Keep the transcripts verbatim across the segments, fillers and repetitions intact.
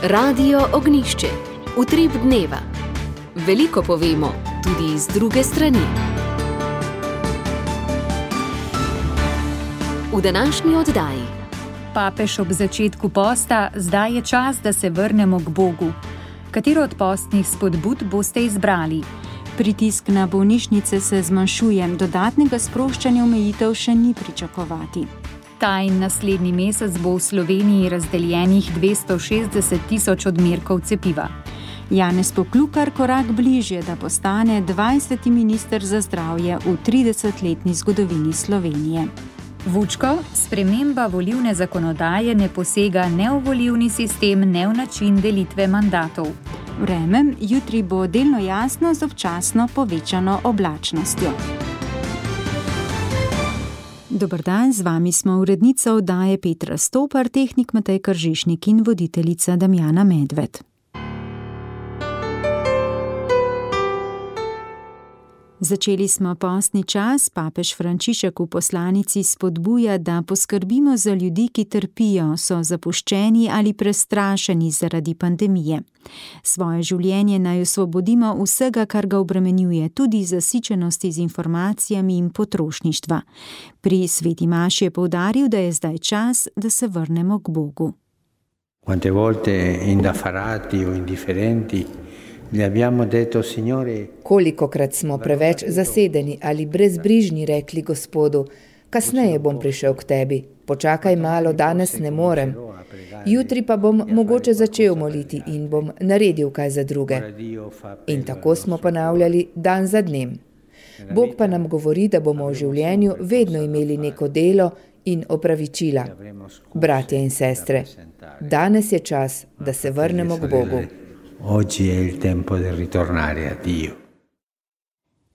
Radio Ognjišče. Utrip dneva. Veliko povemo, tudi iz druge strani. V današnji oddaji. Papež ob začetku posta, zdaj je čas, da se vrnemo k Bogu. Katero od postnih spodbud boste izbrali? Pritisk na bolnišnice se zmanjšuje, dodatnega sproščanja omejitev še ni pričakovati. Ta in naslednji mesec bo v Sloveniji razdeljenih dvesto šestdeset tisoč odmerkov cepiva. Janez Poklukar korak bližje, da postane dvajseti minister za zdravje v tridesetletni zgodovini Slovenije. Vučko, sprememba volilne zakonodaje ne posega ne v volilni sistem, ne v način delitve mandatov. Vreme, jutri bo delno jasno z občasno povečano oblačnostjo. Dober dan, z vami smo urednica oddaje Petra Stopar, tehnik Matej Kržišnik in voditeljica Damjana Medved. Začeli smo postni čas, papež Frančišek v poslanici spodbuja, da poskrbimo za ljudi, ki trpijo, so zapuščeni ali prestrašeni zaradi pandemije. Svoje življenje naj osvobodimo vsega, kar ga obremenjuje, tudi zasičenosti z informacijami in potrošništva. Pri sveti maši je poudaril, da je zdaj čas, da se vrnemo k Bogu. Quante volte indaffarati o indifferenti Detto, Kolikokrat smo preveč zasedeni ali brezbrižni rekli Gospodu, kasneje bom prišel k tebi, počakaj malo, danes ne morem. Jutri pa bom mogoče začel moliti in bom naredil kaj za druge. In tako smo ponavljali dan za dnem. Bog pa nam govori, da bomo v življenju vedno imeli neko delo in opravičila. Bratje in sestre, danes je čas, da se vrnemo k Bogu. Oggi è il tempo di ritornare a Dio.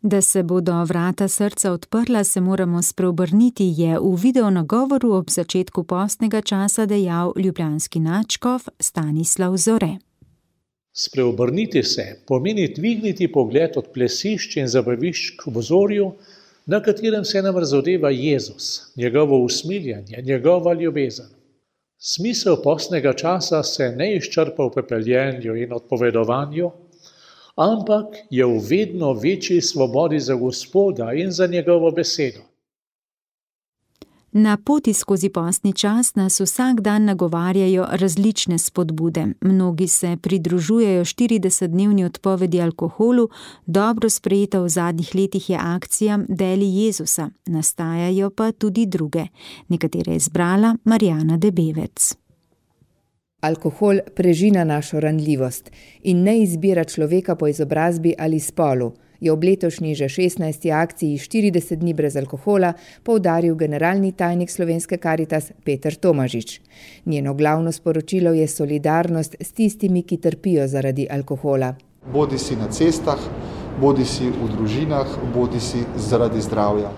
Da se bodo vrata srca odprla, se moramo spreobrniti, je v videonagovoru ob začetku postnega časa dejal ljubljanski nadškof Stanislav Zore. Spreobrniti se pomeni dvigniti pogled od plesišč in zabavišč k obzorju, na katerem se nam razodeva Jezus, njegovo usmiljenje, njegova ljubezen. Smisel postnega časa se ne izčrpa v pepeljenju in odpovedovanju, ampak je v vedno večji svobodi za Gospoda in za njegovo besedo. Na poti skozi postni čas nas vsak dan nagovarjajo različne spodbude. Mnogi se pridružujejo štiridesetdnevni odpovedi alkoholu, dobro sprejeta v zadnjih letih je akcija Deli Jezusa, nastajajo pa tudi druge. Nekatere je izbrala Marjana Debevec. Alkohol prežina našo ranljivost in ne izbira človeka po izobrazbi ali spolu, je ob letošnji že šestnajsti akciji štirideset dni brez alkohola poudaril generalni tajnik Slovenske Karitas Peter Tomažič. Njeno glavno sporočilo je solidarnost s tistimi, ki trpijo zaradi alkohola. Bodi si na cestah, bodi si v družinah, bodi si zaradi zdravja.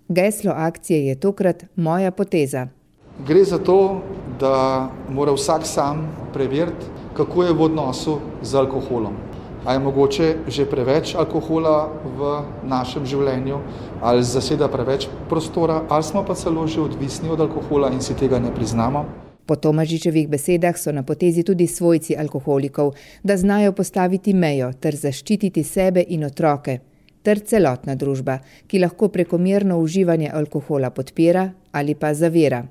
Geslo akcije je tokrat Moja poteza. Gre za to, da mora vsak sam preveriti, kako je v odnosu z alkoholom. A je mogoče že preveč alkohola v našem življenju, ali zaseda preveč prostora, ali smo pa celo že odvisni od alkohola in si tega ne priznamo. Po Tomažičevih besedah so na potezi tudi svojci alkoholikov, da znajo postaviti mejo ter zaščititi sebe in otroke, ter celotna družba, ki lahko prekomerno uživanje alkohola podpira ali pa zavira.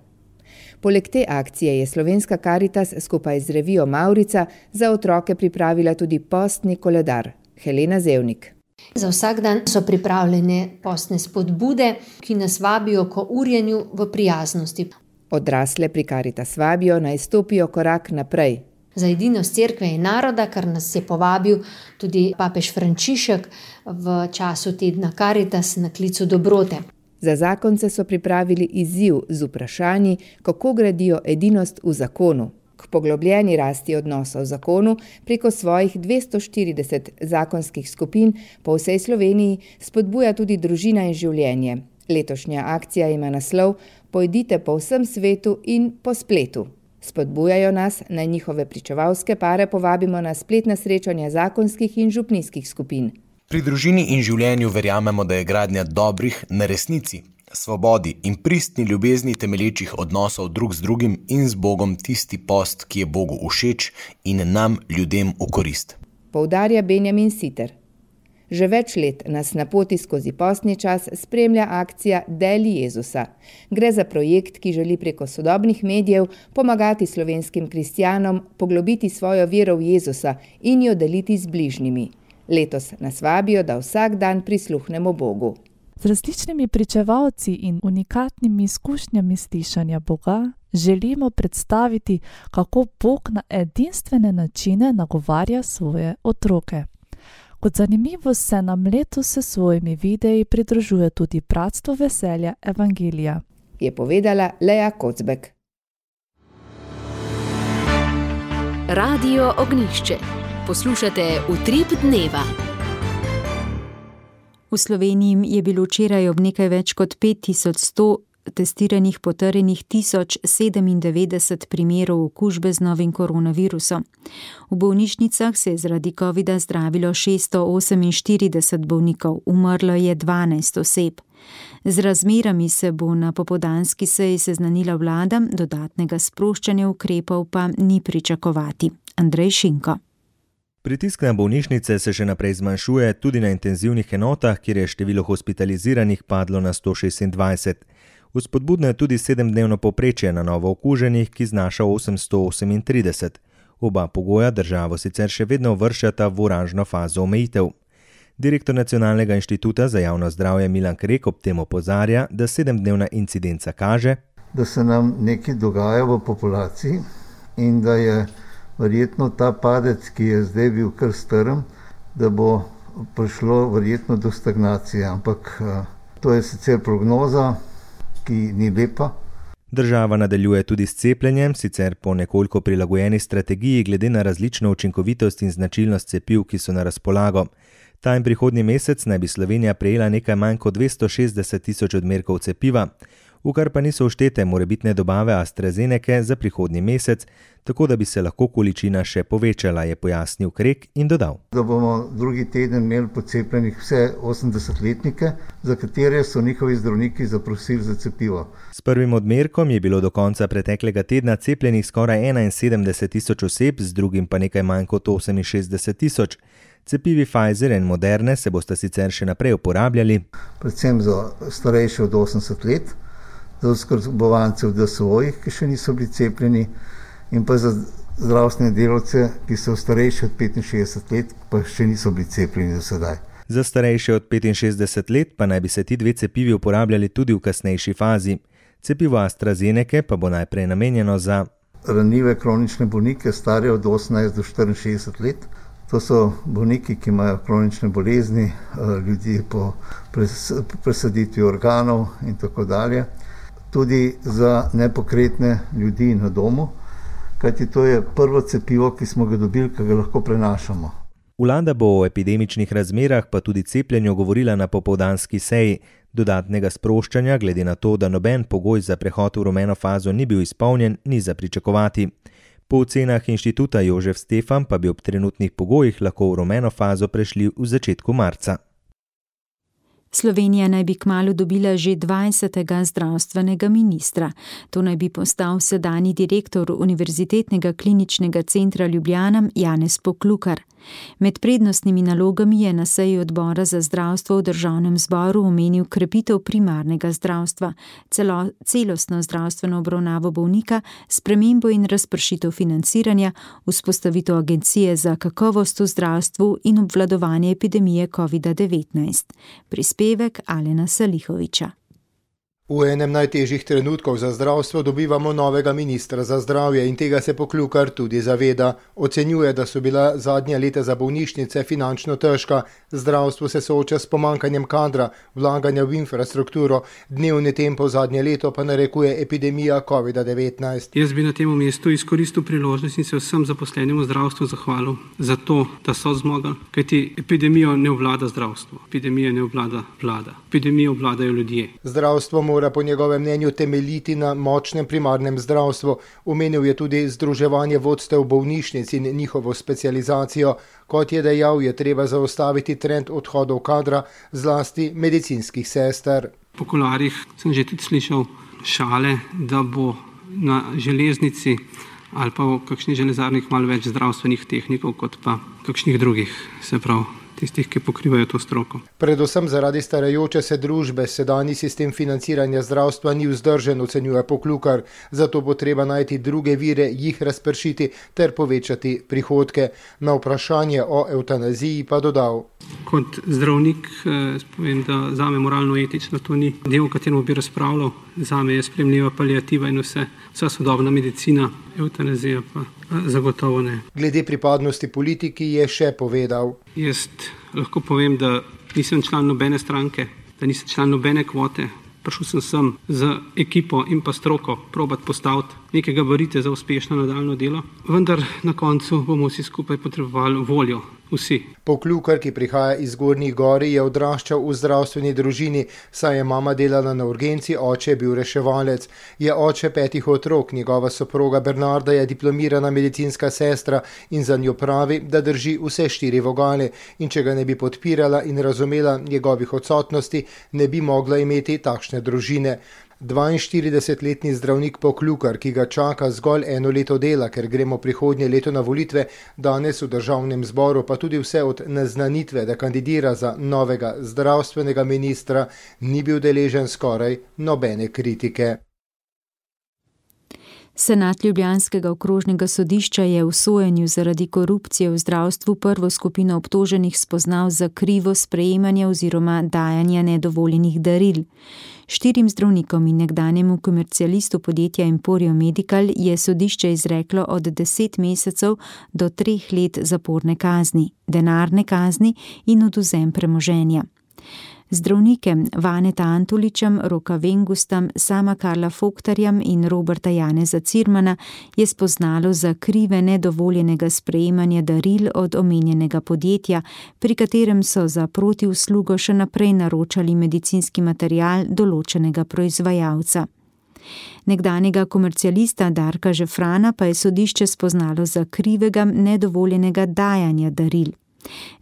Poleg te akcije je Slovenska Karitas skupaj z revijo Mavrica za otroke pripravila tudi postni koledar. Helena Zevnik. Za vsak dan so pripravljene postne spodbude, ki nas vabijo k urjenju v prijaznosti. Odrasle pri Karitas vabijo naj stopijo korak naprej. Za edinost cerkve in naroda, kar nas je povabil tudi papež Frančišek v času tedna Karitas na klicu dobrote. Za zakonce so pripravili izziv z vprašanji, kako gradijo edinost v zakonu. K poglobljeni rasti odnosov v zakonu preko svojih dvesto štirideset zakonskih skupin po vsej Sloveniji spodbuja tudi družina in življenje. Letošnja akcija ima naslov Pojdite po vsem svetu in po spletu. Spodbujajo nas, naj njihove pričevalske pare povabimo na spletna srečanja zakonskih in župnijskih skupin. Pri družini in življenju verjamemo, da je gradnja dobrih na resnici. svobodi in pristni ljubezni temelječih odnosov drug z drugim in z Bogom tisti post, ki je Bogu všeč in nam, ljudem, v korist. Poudarja Benjamin Siter. Že več let nas na poti skozi postni čas spremlja akcija Deli Jezusa. Gre za projekt, ki želi preko sodobnih medijev pomagati slovenskim kristjanom poglobiti svojo vero v Jezusa in jo deliti z bližnjimi. Letos nas vabijo, da vsak dan prisluhnemo Bogu. Z različnimi pričevalci in unikatnimi izkušnjami slišanja Boga želimo predstaviti, kako Bog na edinstvene načine nagovarja svoje otroke. Kot zanimivost se nam letos s svojimi videi pridružuje tudi Bratstvo veselja Evangelija, je povedala Lea Kocbek. Radio Ognjišče. Poslušate Utrip dneva. V Sloveniji je bilo včeraj ob nekaj več kot pet tisoč sto testiranih potrjenih tisoč sedemindevetdeset primerov okužbe z novim koronavirusom. V bolnišnicah se je zaradi covida zdravilo šeststo oseminštirideset bolnikov, umrlo je dvanajst oseb. Z razmerami se bo na popoldanski seji seznanila vlada, dodatnega sproščanja ukrepov pa ni pričakovati. Andrej Šinko. Pritisk na bolnišnice se še naprej zmanjšuje, tudi na intenzivnih enotah, kjer je število hospitaliziranih padlo na sto šestindvajset. Vzpodbudno je tudi sedemdnevno povprečje na novo okuženih, ki znaša osemsto osemintrideset. Oba pogoja državo sicer še vedno uvrščata v oranžno fazo omejitev. Direktor Nacionalnega inštituta za javno zdravje Milan Krek ob tem opozarja, da sedemdnevna incidenca kaže, da se nam nekaj dogaja v populaciji in da je verjetno ta padec, ki je zdaj bil kar strm, da bo prišlo verjetno do stagnacije, ampak to je sicer prognoza, ki ni lepa. Država nadaljuje tudi s cepljenjem, sicer po nekoliko prilagojeni strategiji glede na različno učinkovitost in značilnost cepiv, ki so na razpolago. Ta in prihodnji mesec naj bi Slovenija prejela nekaj manj kot dvesto šestdeset tisoč odmerkov cepiva, v kar pa niso vštete morebitne dobave AstraZenece za prihodnji mesec, tako da bi se lahko količina še povečala, je pojasnil Krek in dodal. Da bomo drugi teden imeli pocepljenih vse osemdesetletnike, za katere so njihovi zdravniki zaprosili za cepivo. S prvim odmerkom je bilo do konca preteklega tedna cepljenih skoraj enainsedemdeset tisoč oseb, z drugim pa nekaj manj kot oseminšestdeset tisoč. Cepivi Pfizer in Moderne se bosta sicer še naprej uporabljali. Predvsem za starejše od osemdeset let, za oskrbovance v D S O-jih, ki še niso bili cepljeni, in pa za zdravstvene delavce, ki so starejši od petinšestdeset let, pa še niso bili cepljeni do sedaj. Za starejše od petinšestdeset let pa naj bi se ti dve cepivi uporabljali tudi v kasnejši fazi. Cepivo AstraZenece pa bo najprej namenjeno za ranljive kronične bolnike, stare od osemnajst do štiriinšestdeset let. To so bolniki, ki imajo kronične bolezni, ljudi po presaditvi organov in tako dalje. Tudi za nepokretne ljudi na domu, kajti to je prvo cepivo, ki smo ga dobili, ki ga lahko prenašamo. Vlada bo o epidemičnih razmerah pa tudi cepljenju govorila na popoldanski seji. Dodatnega sproščanja, glede na to, da noben pogoj za prehod v rumeno fazo ni bil izpolnjen, ni za pričakovati. Po ocenah inštituta Jožef Stefan pa bi ob trenutnih pogojih lahko v rumeno fazo prešli v začetku marca. Slovenija naj bi kmalu dobila že dvajsetega zdravstvenega ministra. To naj bi postal sedanji direktor Univerzitetnega kliničnega centra Ljubljana Janez Poklukar. Med prednostnimi nalogami je na seji odbora za zdravstvo v državnem zboru omenil krepitev primarnega zdravstva, celo, celostno zdravstveno obravnavo bolnika, spremembo in razpršitev financiranja, vzpostavitev agencije za kakovost v zdravstvu in obvladovanje epidemije covida devetnajst. Prispevek Alena Salihoviča. V enem najtežjih trenutkov za zdravstvo dobivamo novega ministra za zdravje in tega se Poklukar tudi zaveda. Ocenjuje, da so bila zadnja leta za bolnišnice finančno težka, zdravstvo se sooča s pomankanjem kadra, vlaganja v infrastrukturo, dnevni tempo zadnje leto pa narekuje epidemija covida devetnajst. Jaz bi na tem mestu izkoristil priložnost in se vsem zaposlenim v zdravstvu zahvalil za to, da so zmogli, kajti epidemijo ne obvlada zdravstvo, epidemija ne obvlada vlada, epidemijo obvladajo ljudje. Zdravstvo mora po njegovem mnenju temeljiti na močnem primarnem zdravstvu. Omenil je tudi združevanje vodstev bolnišnic in njihovo specializacijo. Kot je dejal, je treba zaustaviti trend odhodov kadra, zlasti medicinskih sester. Po kuloarjih sem že tudi slišal šale, da bo na železnici ali pa v kakšnih železarnih malo več zdravstvenih tehnikov, kot pa kakšnih drugih, se pravi tistih, ki pokrivajo to stroko. Predvsem zaradi starajoče se družbe sedanji sistem financiranja zdravstva ni vzdržen, ocenjuje Poklukar, zato bo treba najti druge vire, jih razpršiti ter povečati prihodke. Na vprašanje o evtanaziji pa dodal. Kot zdravnik eh, povem, da zame moralno-etično to ni del, o katerem bi razpravljal. Zame je sprejemljiva paliativa in vse, vsa sodobna medicina, evtanazija pa zagotovo ne. Glede pripadnosti politiki je še povedal. Jaz lahko povem, da nisem član nobene stranke, da nisem član nobene kvote. Prišel sem sem z ekipo in pa stroko probat postaviti neke gabarite za uspešno nadaljno delo, vendar na koncu bomo vsi skupaj potrebovali voljo. Vsi. Poklukar, ki prihaja iz Gornjih Gori, je odraščal v zdravstveni družini, saj je mama delala na urgenci, oče je bil reševalec. Je oče petih otrok, njegova soproga Bernarda je diplomirana medicinska sestra in za njo pravi, da drži vse štiri vogale in če ga ne bi podpirala in razumela njegovih odsotnosti, ne bi mogla imeti takšne družine. dvainštiridesetletni zdravnik Poklukar, ki ga čaka zgolj eno leto dela, ker gremo prihodnje leto na volitve, danes v državnem zboru pa tudi vse od naznanitve, da kandidira za novega zdravstvenega ministra, ni bil deležen skoraj nobene kritike. Senat ljubljanskega okrožnega sodišča je v sojenju zaradi korupcije v zdravstvu prvo skupino obtoženih spoznal za krivo sprejemanje oziroma dajanje nedovoljenih daril. Štirim zdravnikom in nekdanjemu komercialistu podjetja Emporio Medical je sodišče izreklo od deset mesecev do treh let zaporne kazni, denarne kazni in odvzem premoženja. Zdravnike Vaneta Antoličem, Roka Vengustam, Sama Karla Foktarjem in Roberta Janeza Cirmana je spoznalo za krive nedovoljenega sprejemanja daril od omenjenega podjetja, pri katerem so za protiuslugo še naprej naročali medicinski material določenega proizvajalca. Nekdanjega komercialista Darka Žefrana pa je sodišče spoznalo za krivega nedovoljenega dajanja daril.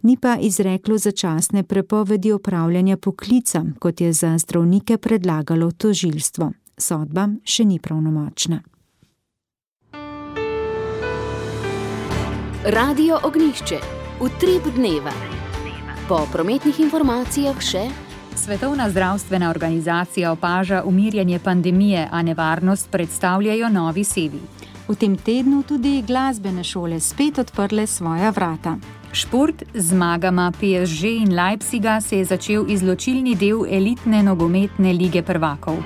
Ni pa izreklo začasne prepovedi opravljanja poklica, kot je za zdravnike predlagalo tožilstvo. Sodba še ni pravnomočna. Radio Ognjišče. Utrip dneva. Po prometnih informacijah še Svetovna zdravstvena organizacija opaža umirjanje pandemije, a nevarnost predstavljajo novi sevi. V tem tednu tudi glasbene šole spet odprle svoja vrata. Šport z zmagama P S G in Leipziga se je začel izločilni del elitne nogometne lige prvakov.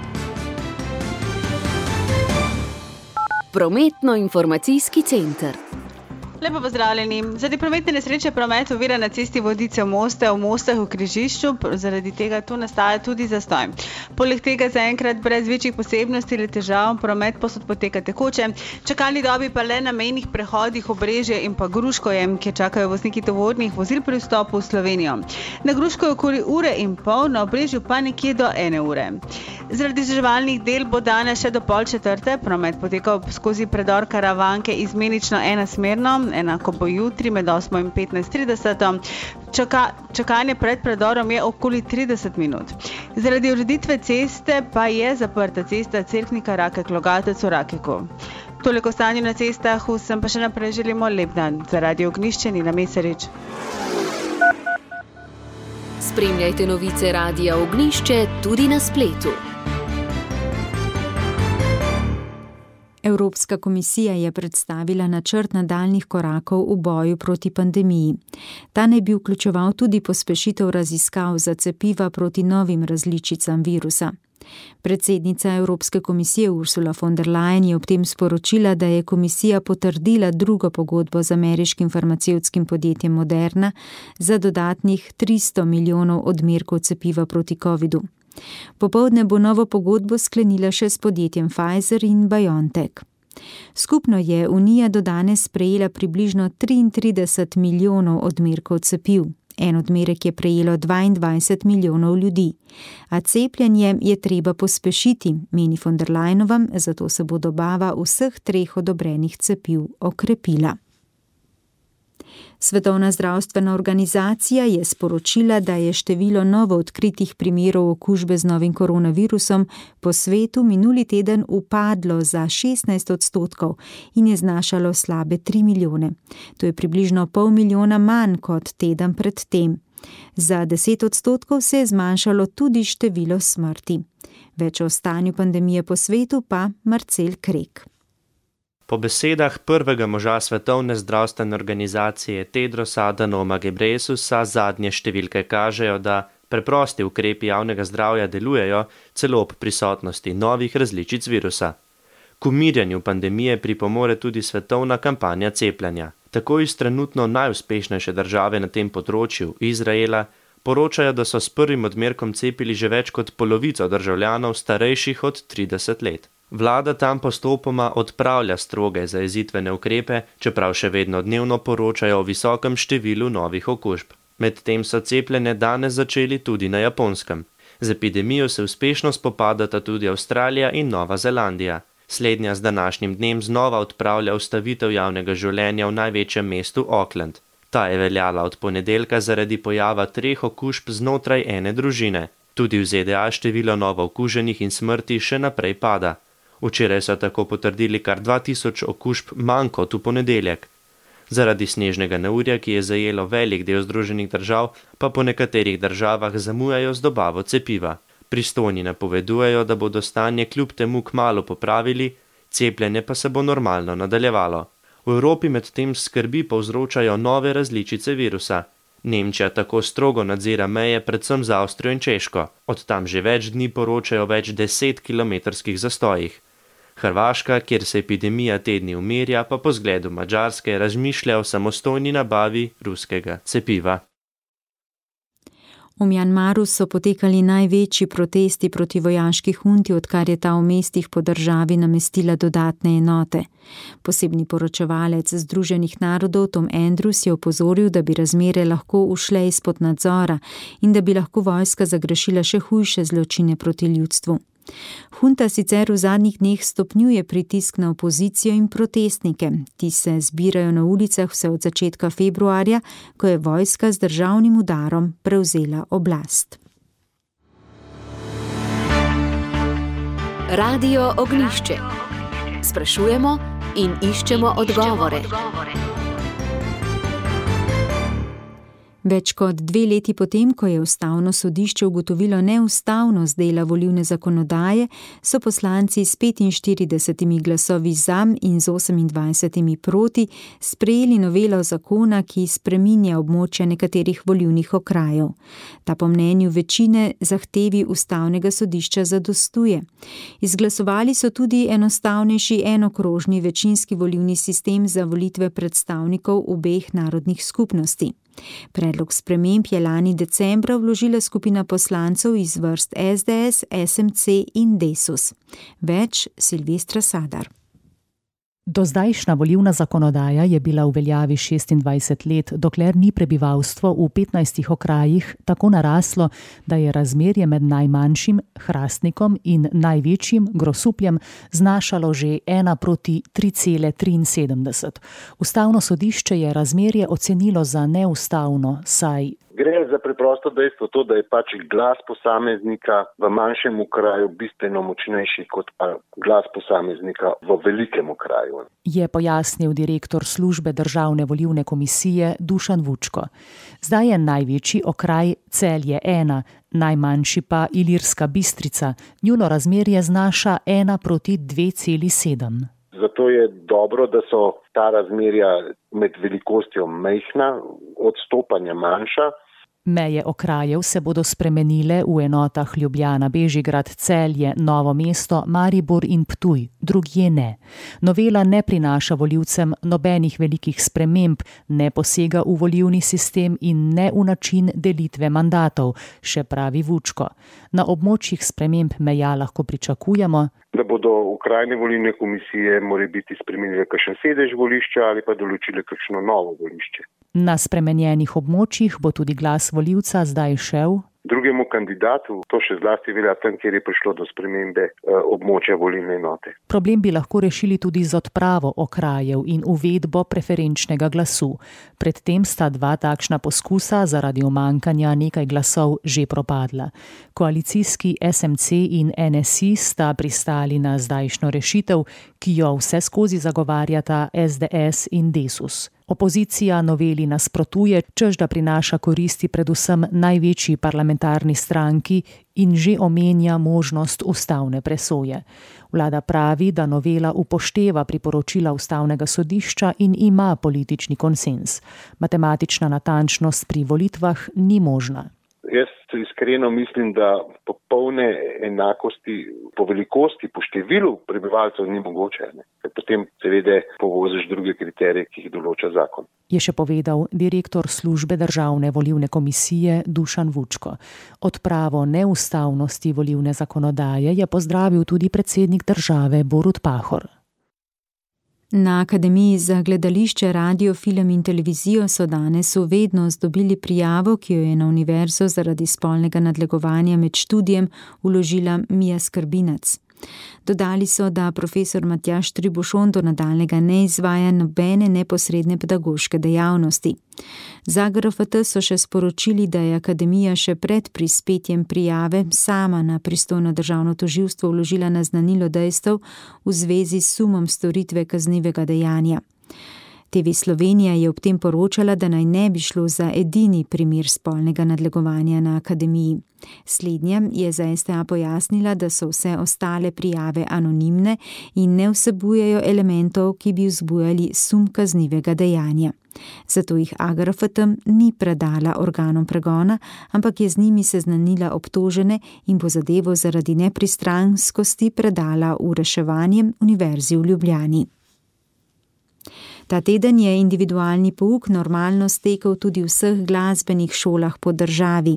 Prometno-informacijski center. Lepo pozdravljeni. Zaradi prometne nesreče promet ovira na cesti Vodice v Moste, v Mostah v križišču, zaradi tega tu nastaja tudi zastoj. Poleg tega zaenkrat brez večjih posebnosti ali težav promet posod poteka tekoče, čakalni dobi pa le na mejnih prehodih Obrežje in pa Gruškovje, kjer čakajo vozniki tovornih vozil pri vstopu v Slovenijo. Na Gruškovju okoli ure in pol, na Obrežju pa nekje do ene ure. Zaradi vzdrževalnih del bo danes še do pol četrte promet potekal skozi predor Karavanke izmenično enasmerno, enako bo jutri med osmo in petnajst trideset. Čaka, čakanje pred predorom je okoli trideset minut. Zaradi ureditve ceste pa je zaprta cesta Cerknika Rakek-Logatec v Rakeku. Toliko stanju na cestah, vsem pa še naprej želimo lep dan. Za Radio Ognjišče Nina Mesarič. Spremljajte novice Radia Ognjišče tudi na spletu. Evropska komisija je predstavila načrt nadaljnjih korakov v boju proti pandemiji. Ta naj bi vključeval tudi pospešitev raziskav za cepiva proti novim različicam virusa. Predsednica Evropske komisije Ursula von der Leyen je ob tem sporočila, da je komisija potrdila drugo pogodbo z ameriškim farmacevtskim podjetjem Moderna za dodatnih tristo milijonov odmerkov cepiva proti covidu. Popoldne bo novo pogodbo sklenila še s podjetjem Pfizer in BioNTech. Skupno je Unija do danes sprejela približno triintrideset milijonov odmerkov cepiv. En odmerek je prejelo dvaindvajset milijonov ljudi. A cepljenje je treba pospešiti, meni von der Leyenova, zato se bo dobava vseh treh odobrenih cepiv okrepila. Svetovna zdravstvena organizacija je sporočila, da je število novo odkritih primerov okužbe z novim koronavirusom po svetu minuli teden upadlo za šestnajst odstotkov in je znašalo slabe tri milijone. To je približno pol milijona manj kot teden pred tem. Za deset odstotkov se je zmanjšalo tudi število smrti. Več o stanju pandemije po svetu pa Marcel Krek. Po besedah prvega moža Svetovne zdravstvene organizacije Tedrosa Adhanoma Ghebreyesusa zadnje številke kažejo, da preprosti ukrepi javnega zdravja delujejo celo ob prisotnosti novih različic virusa. K umirjanju pandemije pripomore tudi svetovna kampanja cepljenja. Tako iz trenutno najuspešnejše države na tem področju, Izraela, poročajo, da so s prvim odmerkom cepili že več kot polovico državljanov starejših od trideset let. Vlada tam postopoma odpravlja stroge zajezitvene ukrepe, čeprav še vedno dnevno poročajo o visokem številu novih okužb. Medtem so cepljenje danes začeli tudi na Japonskem. Z epidemijo se uspešno spopadata tudi Avstralija in Nova Zelandija. Slednja z današnjim dnem znova odpravlja ustavitev javnega življenja v največjem mestu Auckland. Ta je veljala od ponedeljka zaradi pojava treh okužb znotraj ene družine. Tudi v Z D A število novo okuženih in smrti še naprej pada. Včeraj so tako potrdili kar dva tisoč okužb manj kot v ponedeljek. Zaradi snežnega neurja, ki je zajelo velik del Združenih držav, pa po nekaterih državah zamujajo z dobavo cepiva. Pristojni napovedujejo, da bodo stanje kljub temu kmalu popravili, cepljenje pa se bo normalno nadaljevalo. V Evropi medtem skrbi povzročajo nove različice virusa. Nemčija tako strogo nadzira meje predvsem z Avstrijo in Češko. Od tam že več dni poročajo več deset kilometrskih zastojih. Hrvaška, kjer se epidemija tedni umirja, pa po zgledu Madžarske razmišlja o samostojni nabavi ruskega cepiva. V Mjanmaru so potekali največji protesti proti vojaški hunti, odkar je ta v mestih po državi namestila dodatne enote. Posebni poročevalec Združenih narodov Tom Andrews je opozoril, da bi razmere lahko ušle izpod nadzora in da bi lahko vojska zagrešila še hujše zločine proti ljudstvu. Hunta sicer v zadnjih dneh stopnjuje pritisk na opozicijo in protestnike. Ti se zbirajo na ulicah vse od začetka februarja, ko je vojska z državnim udarom prevzela oblast. Radio Ognjišče. Sprašujemo in iščemo odgovore. Več kot dve leti potem, ko je ustavno sodišče ugotovilo neustavnost dela volilne zakonodaje, so poslanci s petinštiridesetimi glasovi za in z osemindvajsetimi proti sprejeli novelo zakona, ki spreminja območja nekaterih volilnih okrajev. Ta po mnenju večine zahtevi ustavnega sodišča zadostuje. Izglasovali so tudi enostavnejši enokrožni večinski volilni sistem za volitve predstavnikov obeh narodnih skupnosti. Predlog sprememb je lani decembra vložila skupina poslancev iz vrst S D S, S M C in Desus. Več Silvestra Sadar. Dozdajšnja volilna zakonodaja je bila v veljavi šestindvajset let, dokler ni prebivalstvo v petnajstih okrajih tako naraslo, da je razmerje med najmanjšim Hrastnikom in največjim Grosupljem znašalo že ena proti tri cele triinsedemdeset. Ustavno sodišče je razmerje ocenilo za neustavno, saj gre za preprosto dejstvo to, da je pač glas posameznika v manjšem okraju bistveno močnejši kot pa glas posameznika v velikem okraju. Je pojasnil direktor službe Državne volilne komisije Dušan Vučko. Zdaj je največji okraj Celje ena, najmanjši pa Ilirska Bistrica. Njuno razmerje znaša ena proti dve celi sedem. Zato je dobro, da so ta razmerja med velikostjo majhna, odstopanja manjša. Meje okrajev se bodo spremenile v enotah Ljubljana, Bežigrad, Celje, Novo mesto, Maribor in Ptuj, drugje ne. Novela ne prinaša volivcem nobenih velikih sprememb, ne posega v volilni sistem in ne v način delitve mandatov, še pravi Vučko. Na območjih sprememb meja lahko pričakujemo, da bodo okrajne volilne komisije morebiti spremenile kakšen sedež volišča ali pa določile kakšno novo volišče. Na spremenjenih območjih bo tudi glas volivca zdaj šel drugemu kandidatu, to še zlasti velja tam, kjer je prišlo do spremembe območja volilne enote. Problem bi lahko rešili tudi z odpravo okrajev in uvedbo preferenčnega glasu. Predtem sta dva takšna poskusa zaradi umankanja nekaj glasov že propadla. Koalicijski S M C in N S I sta pristali na zdajšnjo rešitev, ki jo vse skozi zagovarjata S D S in Desus. Opozicija noveli nasprotuje, čež da prinaša koristi predvsem največji parlamentarni stranki in že omenja možnost ustavne presoje. Vlada pravi, da novela upošteva priporočila ustavnega sodišča in ima politični konsenz. Matematična natančnost pri volitvah ni možna. Jaz iskreno mislim, da popolne enakosti po velikosti, po številu prebivalcev ni mogoče. Ne? Potem seveda povoziš druge kriterije, ki jih določa zakon. Je še povedal direktor službe Državne volilne komisije Dušan Vučko. Odpravo neustavnosti volilne zakonodaje je pozdravil tudi predsednik države Borut Pahor. Na Akademiji za gledališče, radio, film in televizijo so danes v vednost dobili prijavo, ki jo je na univerzo zaradi spolnega nadlegovanja med študijem vložila Mija Skrbinac. Dodali so, da profesor Matjaž Tribušon do nadaljnjega ne izvaja nobene neposredne pedagoške dejavnosti. Za G R F T so še sporočili, da je akademija še pred prispetjem prijave sama na pristojno državno tožilstvo vložila naznanilo dejstev v zvezi s sumom storitve kaznivega dejanja. T V Slovenija je ob tem poročala, da naj ne bi šlo za edini primer spolnega nadlegovanja na akademiji. Slednja je za S T A pojasnila, da so vse ostale prijave anonimne in ne vsebujejo elementov, ki bi vzbujali sum kaznivega dejanja. Zato jih A G R F T ni predala organom pregona, ampak je z njimi seznanila obtožene in bo zadevo zaradi nepristranskosti predala v reševanje Univerzi v Ljubljani. Ta teden je individualni pouk normalno stekel tudi v vseh glasbenih šolah po državi.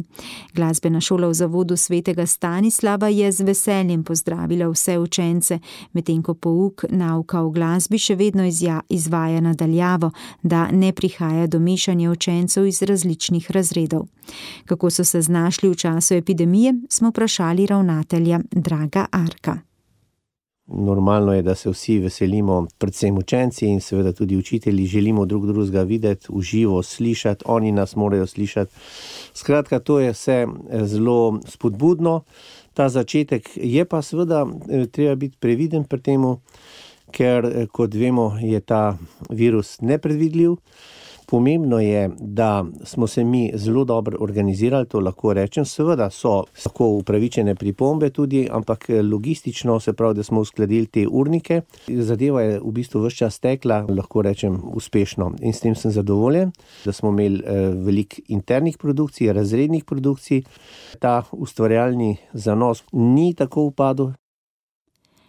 Glasbena šola v Zavodu svetega Stanislava je z veseljem pozdravila vse učence, medtem ko pouk nauka o glasbi še vedno izvaja nadaljavo, da ne prihaja do mešanja učencev iz različnih razredov. Kako so se znašli v času epidemije, smo vprašali ravnatelja Draga Arka. Normalno je, da se vsi veselimo, predvsem učenci in seveda tudi učitelji, želimo drug drugega videti, uživo slišati, oni nas morajo slišati. Skratka, to je vse zelo spodbudno. Ta začetek je pa seveda treba biti previden pri temu, ker kot vemo, je ta virus nepredvidljiv. Pomembno je, da smo se mi zelo dobro organizirali, to lahko rečem. Seveda so lahko upravičene pripombe tudi, ampak logistično se pravi, da smo uskladili te urnike. Zadeva je v bistvu ves čas tekla, lahko rečem, uspešno. In s tem sem zadovoljen, da smo imeli veliko internih produkcij, razrednih produkcij. Ta ustvarjalni zanos ni tako upadel.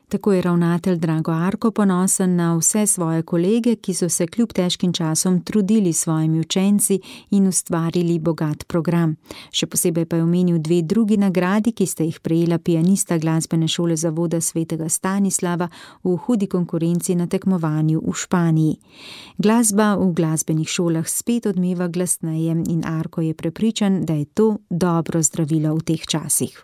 Tako je ravnatelj Drago Arko ponosen na vse svoje kolege, ki so se kljub težkim časom trudili s svojimi učenci in ustvarili bogat program. Še posebej pa je omenil dve drugi nagradi, ki sta jih prejela pianista glasbene šole Zavoda svetega Stanislava v hudi konkurenci na tekmovanju v Španiji. Glasba v glasbenih šolah spet odmeva glasneje in Arko je prepričan, da je to dobro zdravilo v teh časih.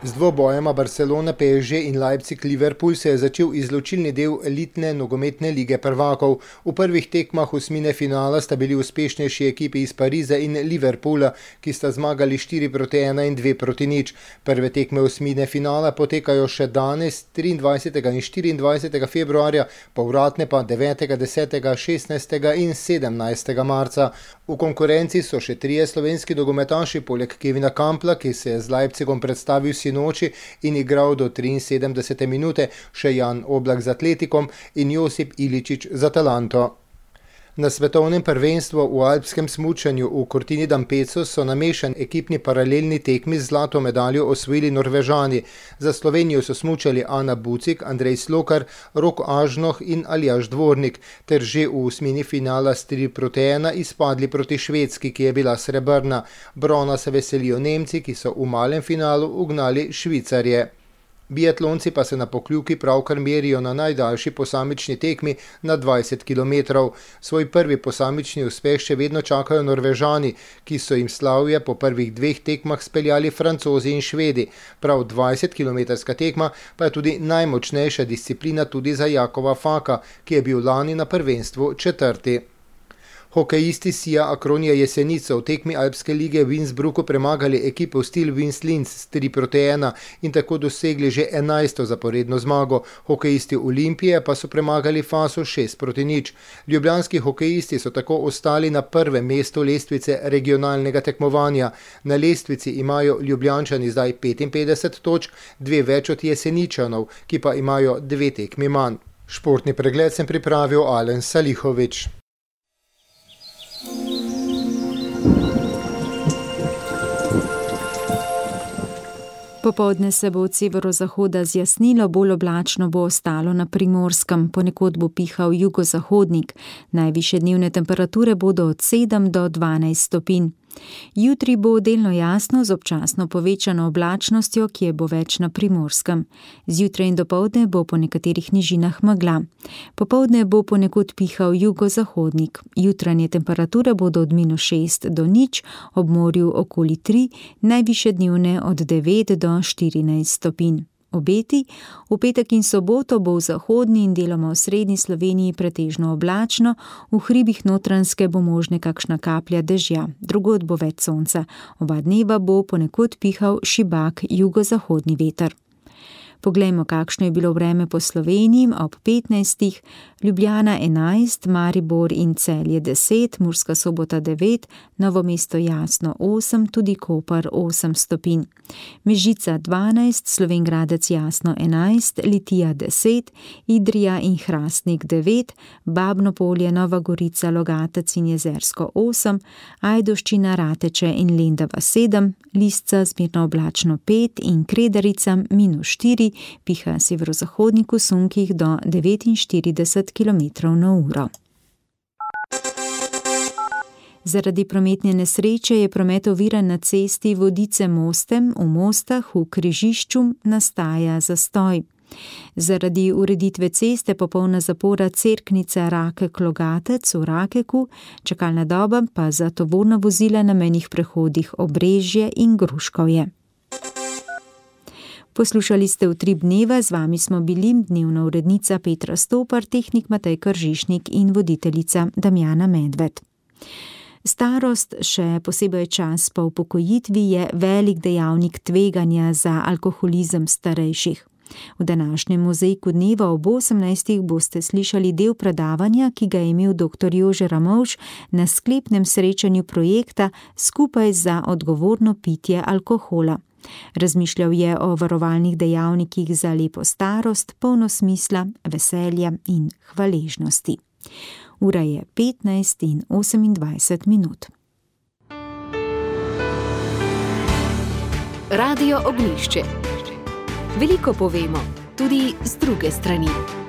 Z dvobojema Barcelona P S G in Leipzig Liverpool se je začel izločilni del elitne nogometne lige prvakov. V prvih tekmah osmine finala sta bili uspešnejši ekipi iz Pariza in Liverpoola, ki sta zmagali štiri proti ena in dve proti nič. Prve tekme osmine finala potekajo še danes, triindvajsetega in štiriindvajsetega februarja, povratne pa devetega, desetega, šestnajstega in sedemnajstega marca. V konkurenci so še trije slovenski nogometaši, poleg Kevina Kampla, ki se je z Leipzigom predstavil sinoči in igral do triinsedemdesete minute, še Jan Oblak z Atletikom in Josip Iličić z Atalanto. Na svetovnem prvenstvu v alpskem smučanju v Cortini d'Ampezzo so na mešan ekipni paralelni tekmi z zlato medaljo osvojili Norvežani. Za Slovenijo so smučali Ana Bucik, Andrej Slokar, Rok Ažnoh in Aljaž Dvornik, ter že v osmini finala s tri proti ena izpadli proti Švedski, ki je bila srebrna. Brona se veselijo Nemci, ki so v malem finalu ugnali Švicarje. Biatlonci pa se na Pokljuki pravkar merijo na najdaljši posamični tekmi na dvajset kilometrov. Svoj prvi posamični uspeh še vedno čakajo Norvežani, ki so jim slavje po prvih dveh tekmah speljali Francozi in Švedi. Prav dvajsetkilometrska tekma pa je tudi najmočnejša disciplina tudi za Jakova Faka, ki je bil lani na prvenstvu četrti. Hokejisti Sija Akronija Jesenice v tekmi Alpske lige v Innsbrucku premagali ekipo Steel Wings Linz s tri proti ena in tako dosegli že enajsto zaporedno zmago. Hokejisti Olimpije pa so premagali Faso šest proti nič. Ljubljanski hokejisti so tako ostali na prvem mestu lestvice regionalnega tekmovanja. Na lestvici imajo Ljubljančani zdaj petinpetdeset točk, dve več od Jeseničanov, ki pa imajo dve tekmi manj. Športni pregled sem pripravil Alen Salihovič. Popoldne se bo od severozahoda zjasnilo, bolj oblačno bo ostalo na Primorskem, ponekod bo pihal jugozahodnik. Najvišje dnevne temperature bodo od sedem do dvanajst stopinj. Jutri bo delno jasno z občasno povečano oblačnostjo, ki je bo več na Primorskem. Zjutraj in dopoldne bo po nekaterih nižinah megla. Popoldne bo ponekod pihal jugozahodnik. Jutranje temperature bodo od minus šest do nič, ob morju okoli tri, najvišje dnevne od devet do štirinajst stopinj. Obeti: v petek in soboto bo v zahodni in deloma v srednji Sloveniji pretežno oblačno, v hribih Notranjske bo možne kakšna kaplja dežja, drugod bo več sonca. Oba dneva bo ponekod pihal šibak jugozahodni veter. Poglejmo, kakšno je bilo vreme po Sloveniji ob petnajstih, Ljubljana enajst, Maribor in Celje deset, Murska Sobota devet, Novo mesto jasno osem, tudi Koper osem stopinj. Mežica dvanajst, Slovenj Gradec jasno enajst, Litija deset, Idrija in Hrastnik devet, Babno Polje, Nova Gorica, Logatec in Jezersko osem, Ajdovščina, Rateče in Lendava sedem, Lisca zmerno oblačno pet in Kredarica minus štiri, piha severozahodnik v sunkih do devetinštirideset kilometrov na uro. Zaradi prometne nesreče je promet oviran na cesti Vodice-Mostem v Mostah v križišču, nastaja zastoj. Zaradi ureditve ceste popolna zapora Cerknica Rakek-Logatec v Rakeku, čakalna doba pa za tovorna vozila na mejnih prehodih Obrežje in Gruškovje. Poslušali ste Utrip dneva, z vami smo bili dnevna urednica Petra Stopar, tehnik Matej Kržišnik in voditeljica Damjana Medved. Starost, še posebej čas po upokojitvi, je velik dejavnik tveganja za alkoholizem starejših. V današnjem mozaiku dneva ob osemnajstih boste slišali del predavanja, ki ga je imel doktor Jože Ramovš na sklepnem srečanju projekta Skupaj za odgovorno pitje alkohola. Razmišljal je o varovalnih dejavnikih za lepo starost, polno smisla, veselja in hvaležnosti. Ura je petnajst in osemindvajset minut. Radio Ognjišče. Veliko povemo, tudi z druge strani.